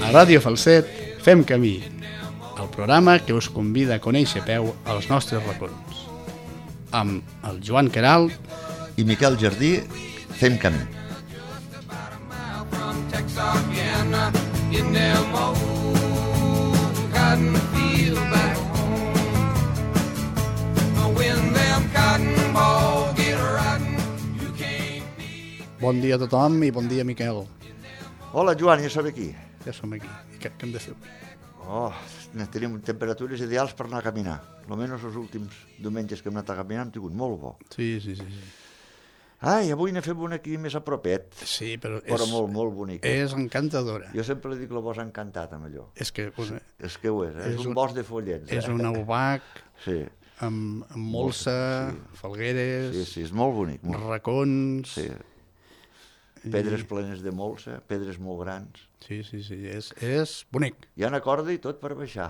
A Ràdio Falset fem camí, el programa que us convida a conèixer a peu als nostres racons. Amb el Joan Queralt i Miquel Jardí fem camí. Bon dia a tothom i bon dia, Miquel. Hola, Joan, ja som aquí. Ja som aquí. I què hem de fer? Tenim temperatures ideals per anar a caminar. Almenys els últims diumenges que hem anat a caminar hem tingut molt bo. Sí. Ai, avui n'he fet una aquí més a propet. Sí, però molt, molt bonica. És encantadora. Jo sempre li dic que el bosc ha encantat amb allò. És que És que ho és, és un bosc de follets. És un aubac sí. amb molsa, falgueres, sí, és molt bonic. racons... Sí. Pedres plenes de molsa, pedres molt grans. Sí, és bonic. Hi ha una corda i tot per baixar.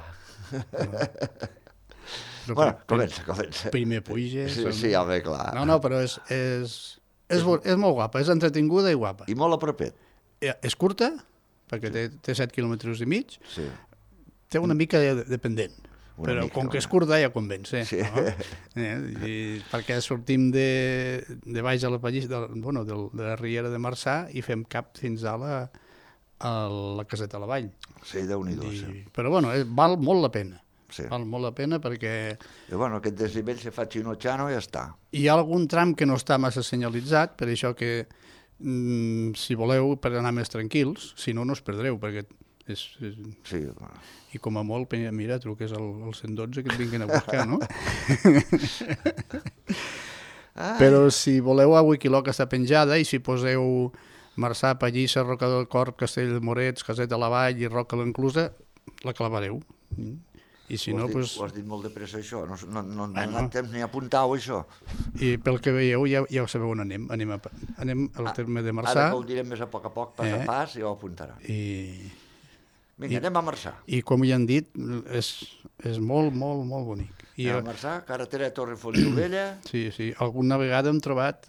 Però comença. Primer puja... Sí, home, clar. No, però és molt guapa, és entretinguda i guapa. I molt a propet. És curta, perquè té 7 quilòmetres i mig. Sí. Té una mica de pendent. Però com que és curta ja convenç, sí. No? Perquè sortim de baix a la pallissa, de la riera de Marçà i fem cap fins a la caseta a la vall. Sí, Déu-n'hi-do. Sí. Però val molt la pena. Sí. Val molt la pena perquè... aquest desnivell se fa xino-xano i ja està. Hi ha algun tram que no està massa senyalitzat, per això que si voleu per anar més tranquils, si no, no us perdreu, perquè sí, i com a molt, mira, truques al 112 que et vinguin a buscar, no? Però si voleu a Wikiloc està penjada i si poseu Marçà, Pallissa, Roca del Corp, Castell de Morets, Caseta a la Vall i Roca l'Enclusa, la clavareu. I si no, doncs... Ho has dit molt de pressa, això. No ha anat temps ni a apuntar-ho, això. I pel que veieu, ja ho sabeu on anem. Anem al terme de Marçà. Ara que ho direm més a poc, pas a pas, ja ho apuntarà. Vinga, anem a Marçà. I com ja han dit, és molt, molt, molt bonic. A Marçà, carretera de Torre-Fontaubella... Sí. Alguna vegada hem trobat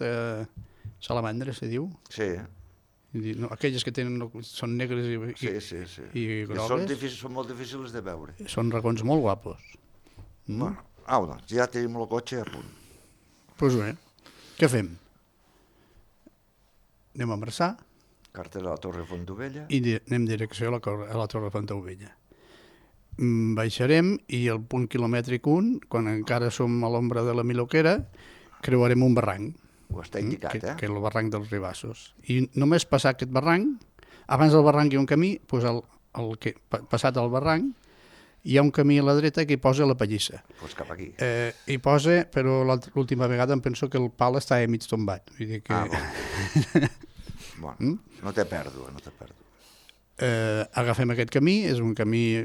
salamandres, se diu? Sí. Aquelles que són negres i grogues. Són molt difícils de veure. Són racons molt guapos. Doncs ja tenim el cotxe a punt. Doncs bé, què fem? Anem a Marçà. Carretera de la Torre-Fontaubella. I anem direcció a la Torre-Fontaubella. Baixarem i al punt quilomètric 1, quan encara som a l'ombra de la Miloquera, creuarem un barranc. Ho està indicat, que és el barranc dels Ribassos. I només passar aquest barranc, abans del barranc hi ha un camí, passat el barranc, hi ha un camí a la dreta que hi posa la pallissa. Doncs cap aquí. Hi posa, però l'última vegada em penso que el pal està mig tombat. Vull dir que... Bueno, no té pèrdua. Agafem aquest camí, és un camí...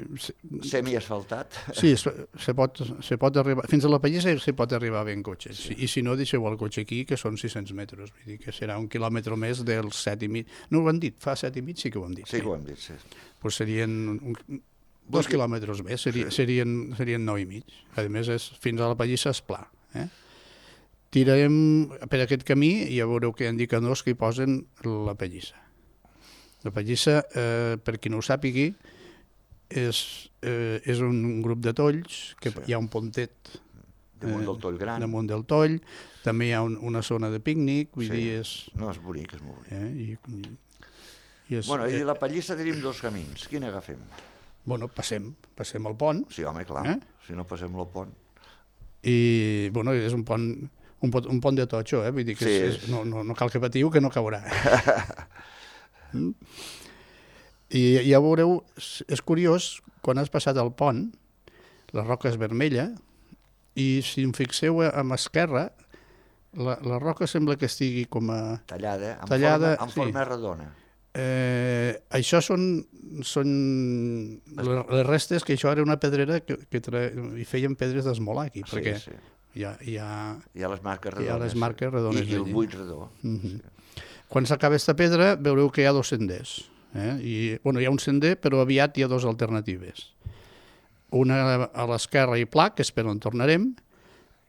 Semiasfaltat. Sí, se pot arribar... Fins a la pallissa se pot arribar bé en cotxe. Sí. I si no, deixeu el cotxe aquí, que són 600 metres. Vull dir que serà un quilòmetre més dels 7,5. No ho han dit, fa 7,5 sí que ho han dit. Sí que ho han dit, sí. Doncs serien 2 quilòmetres més, serien 9,5. A més, fins a la pallissa és pla. Tirarem per aquest camí i ja veureu que hi ha indicadors que hi posen la pallissa. La pallissa, per qui no ho sàpigui, és un grup de tolls, que hi ha un pontet damunt del toll gran. Damunt del toll, també hi ha una zona de pícnic, vull dir, és... No, és bonic, és molt bonic. I la pallissa tenim dos camins, quin agafem? Passem el pont. Sí, home, clar, si no passem el pont. I, és un pont de totxo, vull dir que no cal que patiu, que no caurà. I ja veureu, és curiós, quan has passat el pont, la roca és vermella, i si em fixeu a l'esquerra, la roca sembla que estigui com a... Tallada, en forma redona. Això són les restes, que això era una pedrera que hi feien pedres d'esmolar aquí, perquè hi ha les marques redones. I el buit redó. Quan s'acaba aquesta pedra veureu que hi ha dos senders. Hi ha un sender, però aviat hi ha dues alternatives. Una a l'esquerra i pla, que és per on tornarem,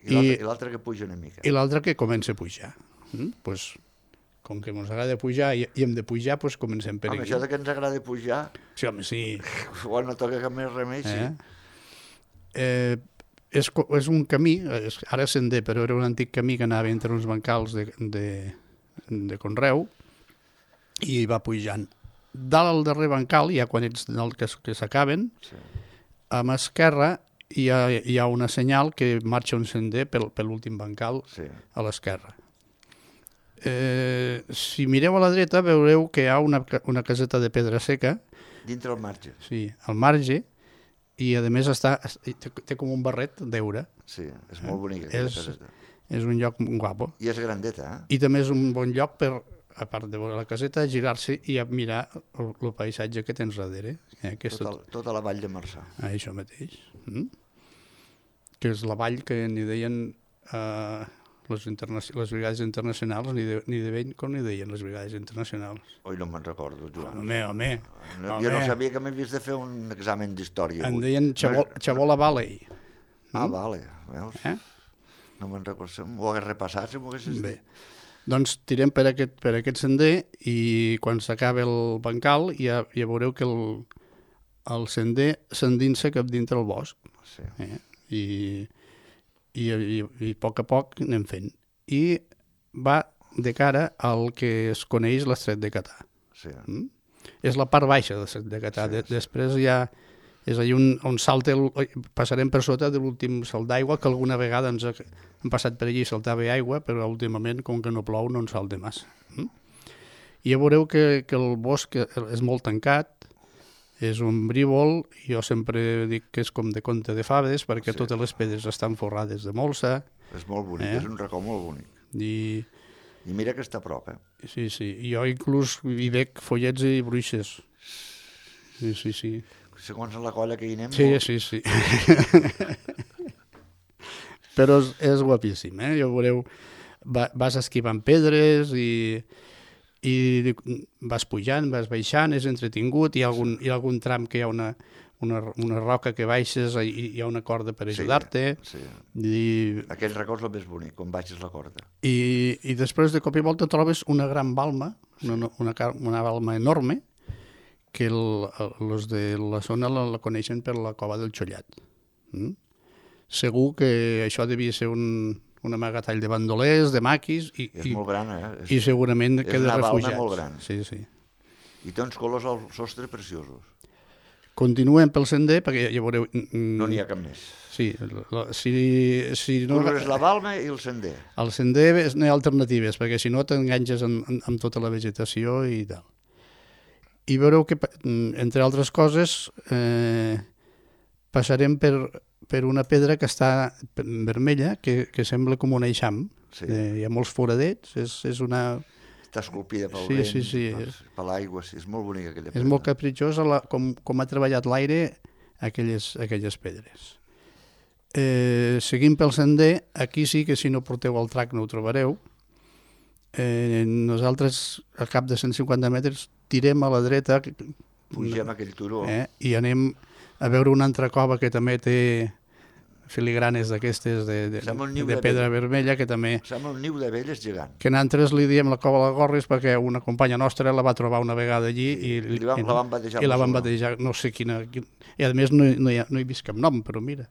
i l'altra que puja una mica. I l'altra que comença a pujar. com que ens agrada pujar i hem de pujar, doncs comencem per Home, aquí. això de que ens agrada pujar, Sí, home, sí. quan no toca cap més remei, sí. És un camí, ara sender, però era un antic camí que anava entre uns bancals de conreu i va pujant. Dalt al darrer bancal, ja quan ets dalt que s'acaben, Sí. a mà esquerra hi ha una senyal que marxa un sender per l'últim bancal Sí. a l'esquerra. Si mireu a la dreta veureu que hi ha una caseta de pedra seca, Dintre el marge. sí, al marge, i a més té com un barret d'heura. Sí, és molt bonica aquella És- caseta. És un lloc guapo. I és grandeta, eh? I també és un bon lloc per, a part de veure la caseta, girar-se i a mirar el paisatge que tens darrere. Que és Tota la vall de Marçà. això mateix. Que és la vall que n'hi deien les brigades internacionals, ni de vell com n'hi deien les brigades internacionals. Oi, no me'n recordo, Joan. Home. Jo no sabia que m'havies de fer un examen d'història. En avui. deien Xabola Valley. Ah, vale, veus? Eh? No me'n recordo, si m'ho hagués repassat, si m'ho haguessis Bé, dit. doncs tirem per aquest sender i quan s'acaba el bancal ja veureu que el sender s'endinsa cap dintre el bosc. Sí. I a poc anem fent. I va de cara al que es coneix l'estret de Catà. Sí. És la part baixa de l'estret de Catà. Sí. Després ja és allà on salta, passarem per sota de l'últim salt d'aigua, que alguna vegada ens hem passat per allí i saltava aigua, però últimament, com que no plou, no en salta massa. I ja veureu que el bosc és molt tancat, és un brívol, jo sempre dic que és com de conte de fades, perquè Sí. totes les pedres estan forrades de molsa, És molt bonic, és un racó molt bonic. i I mira que està a prop, eh? sí, jo inclús hi veig follets i bruixes. Sí. Segons la colla que hi anem... Sí. Però és guapíssim, eh? Ja veureu, vas esquivant pedres i vas pujant, vas baixant, és entretingut, hi ha algun tram que hi ha una roca que baixes i hi ha una corda per ajudar-te. Sí. I Aquell racó és el més bonic, quan baixes la corda. I després de cop i volta trobes una gran balma, una balma enorme, que els de la zona la coneixen per la cova del Xollat. Segur que això devia ser un amagatall de bandolers, de maquis, És molt gran, eh? i segurament que de una balma refugiats. molt gran. Sí. I té uns colors al sostre preciosos. Continuem pel sender, perquè ja veureu... No n'hi ha cap més. Sí, si no... És la balma i el sender. Al sender no hi ha alternatives, perquè si no t'enganxes amb tota la vegetació i tal. I veureu que, entre altres coses, passarem per una pedra que està vermella, que sembla com un eixam. Sí. Hi ha molts foradets, és una... Està esculpida pel Sí, vent, per l'aigua, sí, és molt bonica aquella pedra. És molt capritxosa com ha treballat l'aire aquelles pedres. Seguim pel sender, aquí sí que si no porteu el trac no ho trobareu. Nosaltres, al cap de 150 metres, tirem a la dreta Pugem aquell turó. I anem a veure una altra cova que també té filigranes d'aquestes de pedra vermella, que també... Sembla un niu d'abelles gegant. Que nosaltres li diem la cova de Gorris perquè una companya nostra la va trobar una vegada allí i la van batejar. I la van batejar, no sé quina... I a més no hi he vist cap nom, però mira.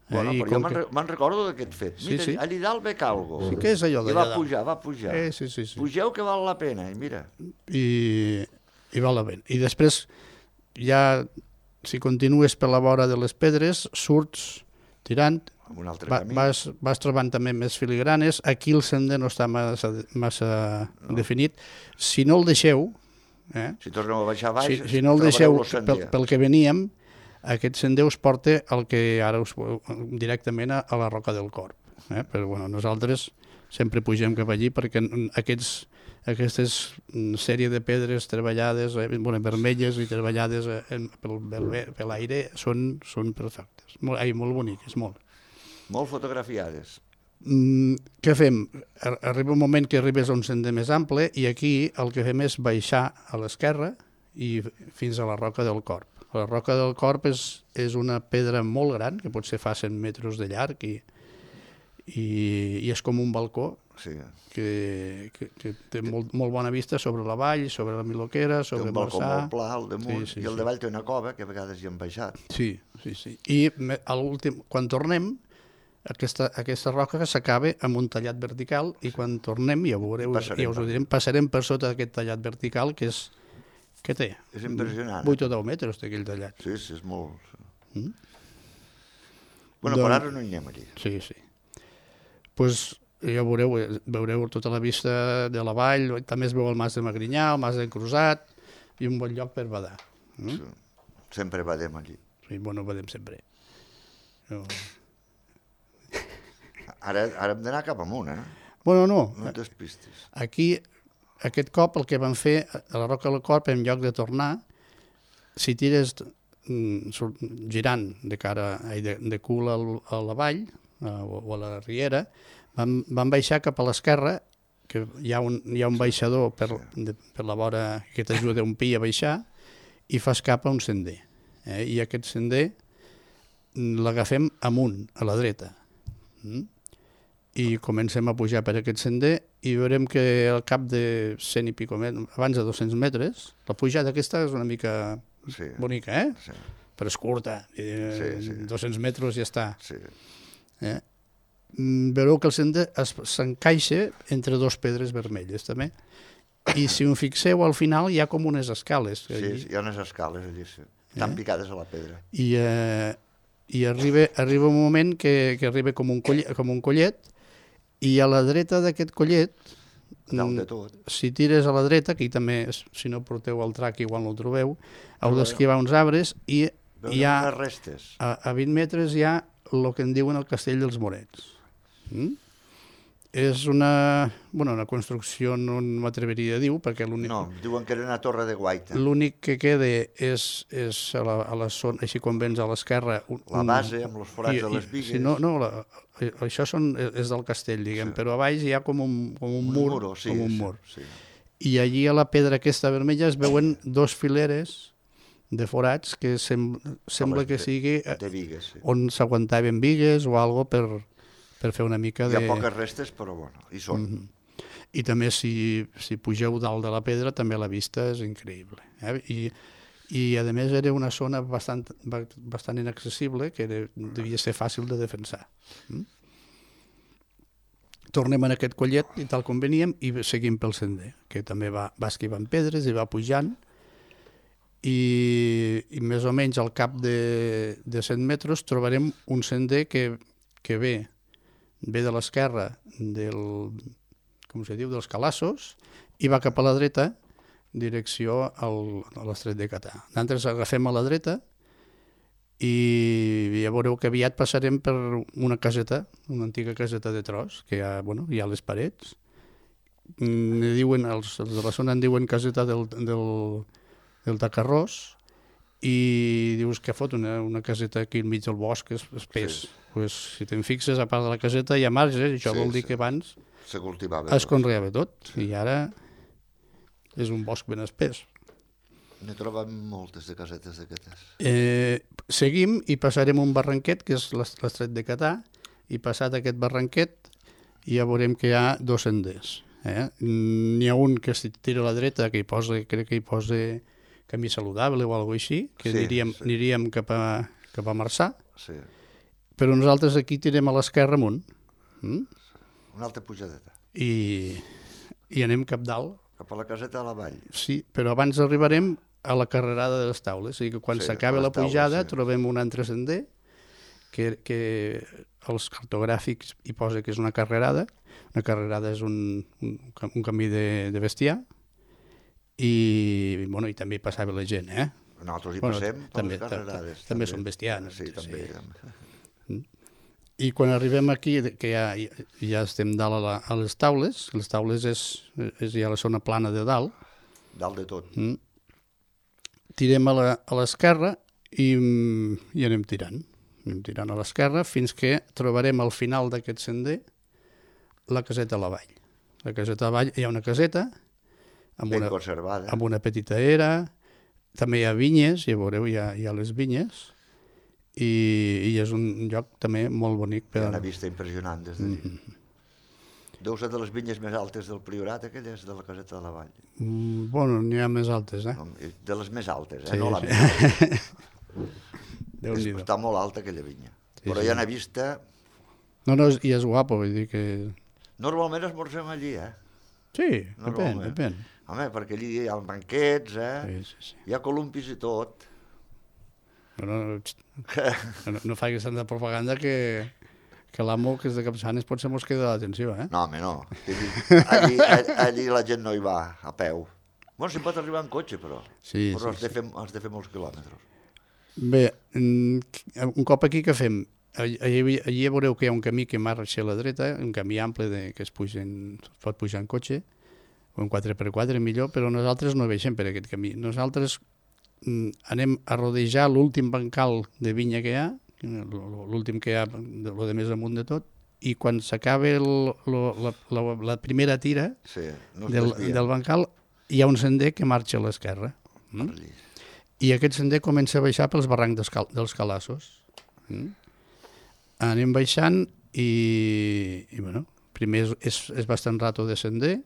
Bueno, però jo me'n recordo d'aquest fet. Mira, Sí. allà dalt ve calgo. Sí, què és allò I d'allà va pujar. Sí. Pugeu que val la pena, i mira. I val la pena. I després, ja, si continues per la vora de les pedres, surts tirant, Amb un altre camí. vas trobant també més filigranes. Aquí el sender no està massa definit. Si no el deixeu, Si torneu a baixar baix, si no el deixeu trobareu el pel que veníem, aquest sender us porta el que ara directament a la Roca del Corp. Però bueno, nosaltres sempre pugem cap allí perquè aquestes sèrie de pedres treballades, vermelles i treballades per l'aire són perfectes. Molt boniques, molt. Molt fotografiades. Què fem? Arriba un moment que arribes a un sender més ample i aquí el que fem és baixar a l'esquerra i fins a la Roca del Corp. La Roca del Corp és una pedra molt gran, que pot ser fa 100 metres de llarg i és com un balcó, Sí. que té molt bona vista sobre la vall, sobre la Miloquera, Té sobre un balcó Marçà. molt pla al damunt, Sí, i al davall té una cova que a vegades hi han baixat. Sí. I a l'últim, quan tornem, aquesta roca s'acaba amb un tallat vertical i quan tornem, ja ho veureu, ja us ho direm, passarem per sota d'aquest tallat vertical que té? És impressionant. 8 o 10 metres té aquell tallat. Sí, és molt... Bueno, per ara no hi anem allí. Sí. Pues ja veureu tota la vista de la vall, també es veu el Mas de Magrinyà, el Mas d'en Crusat, i un bon lloc per badar. Sí. Sempre badem allí. Sí, bueno, badem sempre. No. Ara hem d'anar cap amunt, Bueno, no. No et despistis. Aquí, aquest cop, el que vam fer a la Roca del Corp, en lloc de tornar, si tires girant de cul a la vall o a la riera, vam baixar cap a l'esquerra, que hi ha un baixador per la vora que t'ajuda un pi a baixar, i fas cap a un sender. I aquest sender l'agafem amunt, a la dreta. I comencem a pujar per aquest sender i veurem que al cap de 100 i pico metres, abans de 200 metres, la pujada aquesta és una mica bonica, Sí. Però és curta. 200 metres ja està. Sí. Veureu que el sender s'encaixa entre dos pedres vermelles, també. I si us fixeu, al final hi ha com unes escales. Sí, hi ha unes escales allí, tan picades a la pedra. I arriba un moment que arriba com un collet, i a la dreta d'aquest collet, dalt de tot, si tires a la dreta, aquí també, si no porteu el trac igual no el trobeu, heu d'esquivar uns arbres i hi ha, unes restes. a 20 metres hi ha el que en diuen el Castell dels Morets. És una construcció, no m'atreveria a dir, perquè l'únic... No, diuen que era una torre de guaita. L'únic que queda és a la zona, així com vens a l'esquerra... La base, amb els forats de les bigues... Sí, no, això és del castell, diguem, però a baix hi ha com un mur. Sí. I allí a la pedra aquesta vermella es veuen dos fileres de forats que sembla que sigui de bigues, on s'aguantaven bigues o algo per fer una mica de... Hi ha poques restes, però bueno, hi són. I també si pugeu dalt de la pedra també la vista és increïble. I a més era una zona bastant inaccessible que devia ser fàcil de defensar. Tornem en aquest collet i tal com veníem i seguim pel sender, que també va esquivant pedres i va pujant i més o menys al cap de 100 metres trobarem un sender que ve de l'esquerra dels Calassos i va cap a la dreta direcció a l'Estret de Catà. Nosaltres agafem a la dreta i ja veureu que aviat passarem per una caseta, una antiga caseta de tros, que hi ha les parets. Els de la zona en diuen caseta del Tacarrós i dius que fot una caseta aquí enmig del bosc, és espès. Sí. Pues, si te'n fixes, a part de la caseta hi ha marges, això vol dir que abans es conreava tot i ara és un bosc ben espès. Ne trobem moltes de casetes d'aquestes. Seguim i passarem un barranquet, que és l'Estret de Catà, i passat aquest barranquet ja veurem que hi ha dos senders. N'hi ha un que si tira a la dreta, que crec que hi posa camí saludable o alguna cosa així, que aniríem cap a Marçà, però nosaltres aquí tirem a l'esquerra amunt. Una altra pujadeta. I anem cap dalt. Cap a la caseta de la vall. Sí, però abans arribarem a la carrerada de les taules. O sigui que quan s'acaba la pujada trobem un altre sender que els cartogràfics hi posa que és una carrerada. Una carrerada és un camí de bestiar i també hi passava la gent. Nosaltres hi passem per les carrerades. També són bestiars. Sí, també. I quan arribem aquí, que ja estem dalt a les taules és ja la zona plana de dalt. Dalt de tot. Tirem a l'esquerra i anem tirant. Anem tirant a l'esquerra fins que trobarem al final d'aquest sender la caseta a la vall. La caseta a la vall, hi ha una caseta ben conservada. Amb una petita era, també hi ha vinyes, ja veureu, hi ha les vinyes, i és un lloc també molt bonic. Hi ha una vista impressionant des d'allí. Deu ser de les vinyes més altes del Priorat, aquelles de la Caseta de la Vall. Bueno, n'hi ha més altes, De les més altes, Sí, no la sí. més alta. Déu-n'hi-do. Està molt alta aquella vinya. Sí, Però sí. ja n'he vista... No, i és guapo, vull dir que... Normalment esmorzem allí, Sí, Normalment. depèn. Home, perquè allí hi ha banquets, Sí. hi ha columpis i tot. Però no facis tanta propaganda que l'amo, que és de Capçanes, potser mos queda l'atenció, No, home, no. Allí la gent no hi va a peu. Bueno, s'hi pot arribar en cotxe, però. Sí, Però sí, has de fer molts quilòmetres. Bé, un cop aquí què fem? Allí veureu que hi ha un camí que marxa a la dreta, un camí ample que es pot pujar en cotxe, o en 4x4 millor, però nosaltres no baixem per aquest camí. Nosaltres anem a rodejar l'últim bancal de vinya que hi ha, l'últim que hi ha, el de més amunt de tot, i quan s'acaba la primera tira Sí, no del bancal, hi ha un sender que marxa a l'esquerra. I aquest sender comença a baixar pels barrancs dels Calassos. Anem baixant i bueno, primer és bastant rato de sender.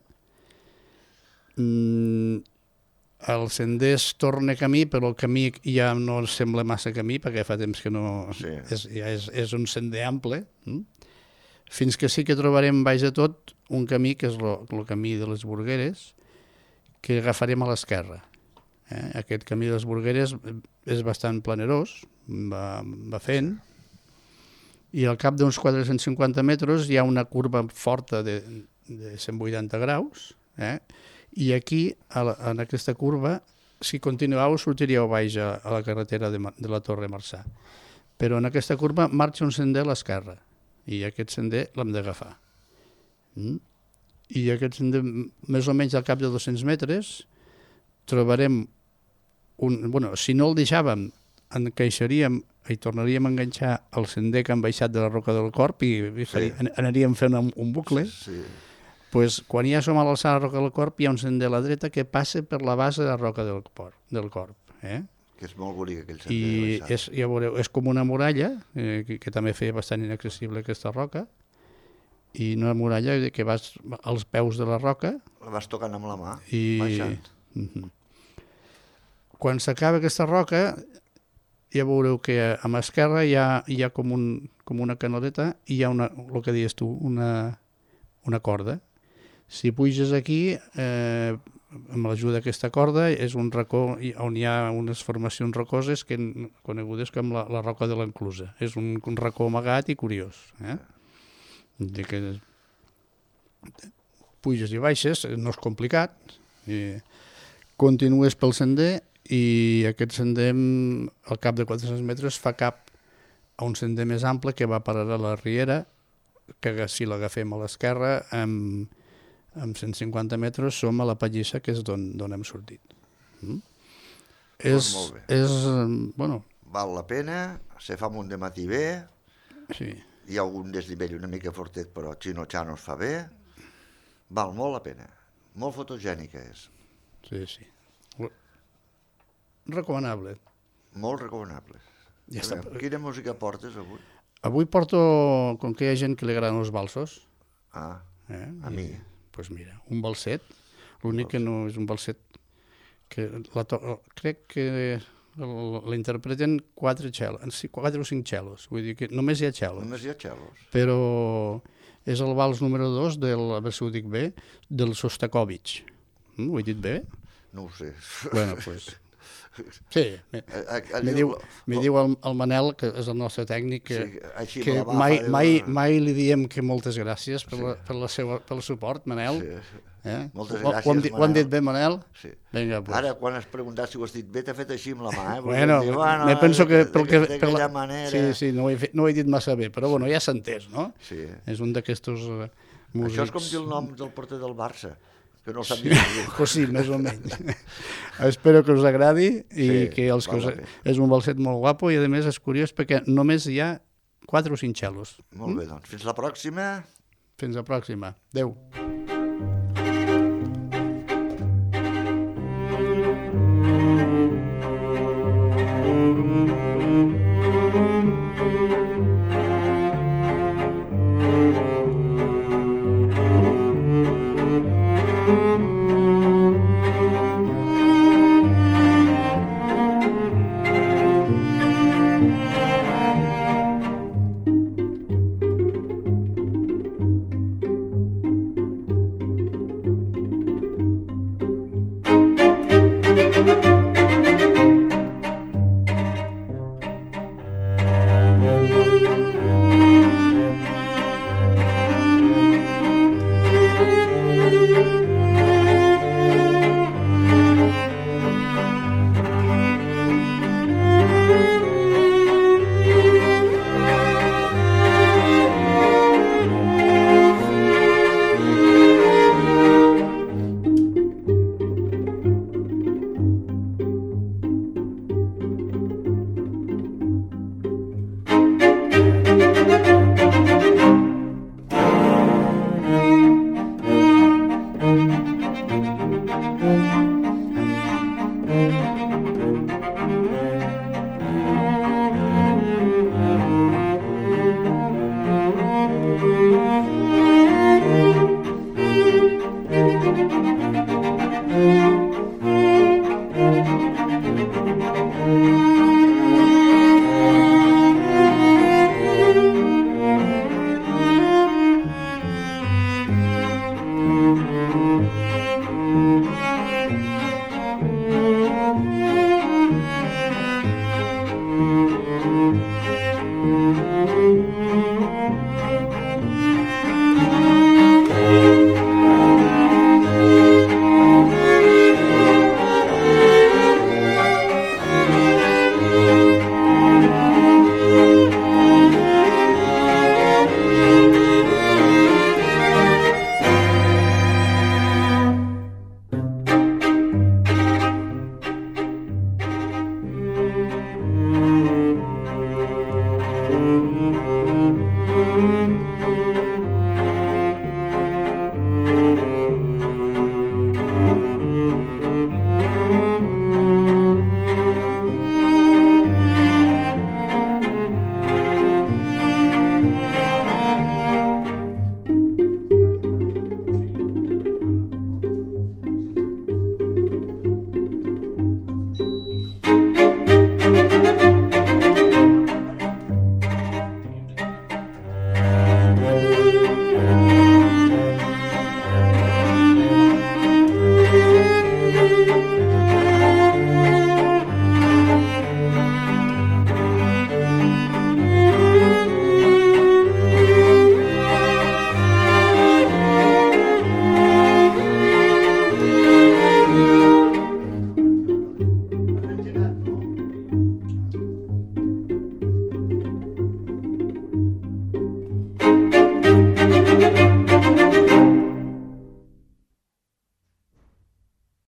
El sender es torna camí, però el camí ja no sembla massa camí, perquè fa temps que no... Sí. És un sender ample. Fins que sí que trobarem baix de tot un camí, que és el camí de les Burgueres, que agafarem a l'esquerra. Aquest camí de les Burgueres és bastant planerós, va fent, i al cap d'uns 450 metres hi ha una curva forta de 180 graus, i aquí, en aquesta curva, si continueu, sortiríeu baix a la carretera de la Torre Marçà. Però en aquesta curva marxa un sender a l'esquerra, i aquest sender l'hem d'agafar. I aquest sender, més o menys al cap de 200 metres, trobarem si no el deixàvem, encaixaríem i tornaríem a enganxar el sender que han baixat de la Roca del Corp i anaríem fent un bucle. Pues, quan ja som a l'alçada de la Roca del Corp, hi ha un sender a la dreta que passa per la base de la Roca del Corp. Que és molt bonic aquell sender. I ja veureu, és com una muralla, que també feia bastant inaccessible aquesta roca, i una muralla que vas als peus de la roca. La vas tocant amb la mà, baixant. Quan s'acaba aquesta roca, ja veureu que a l'esquerra hi ha com una canaleta i hi ha el que dius tu, una corda. Si puges aquí, amb l'ajuda d'aquesta corda, és un racó on hi ha unes formacions rocoses conegudes com la Roca de l'Enclusa. És un racó amagat i curiós. Puges i baixes, no és complicat, continues pel sender i aquest sender, al cap de 400 metres, fa cap a un sender més ample que va parar a la Riera, que si l'agafem a l'esquerra, amb 150 metres som a la Pallissa, que és d'on hem sortit. Molt bé. Bueno... Val la pena, se fa un dematí bé, sí. Hi ha algun desnivell una mica fortet, però Chino-Chano es fa bé, val molt la pena. Molt fotogènica és. Sí. Recomanable. Molt recomanable. Ja està. Quina música portes avui? Avui porto, com que hi ha gent que li agraden els valsos. A mi. Doncs mira, un balset. L'únic que no és un balset que crec que l'interpreten 4 o 5 cellos. Vull dir que només hi ha cellos. Només hi ha cellos. Però és el vals número 2 del, a veure si ho dic bé, del Sostakovich. Ho he dit bé? No ho sé. Bueno, doncs... Sí, me diu el Manel, que és el nostre tècnic, que mai li diem que moltes gràcies pel suport, Manel. Moltes gràcies, Manel. Ho hem dit bé, Manel? Sí. Vinga, pues. Ara, quan has preguntat si ho has dit bé, t'ha fet així amb la mà. Bueno, me penso que... D'aquella manera... Sí, no ho he dit massa bé, però bueno, ja s'ha entès, no? Sí. És un d'aquestos músics... Això és com dir el nom del porter del Barça, que no sap dir ningú. Pues sí, més o menys. Espero que us agradi i que és un balset molt guapo i a més és curiós perquè només hi ha 4 o 5 cellos. Molt bé, doncs. Fins la pròxima. Fins la pròxima. Adéu.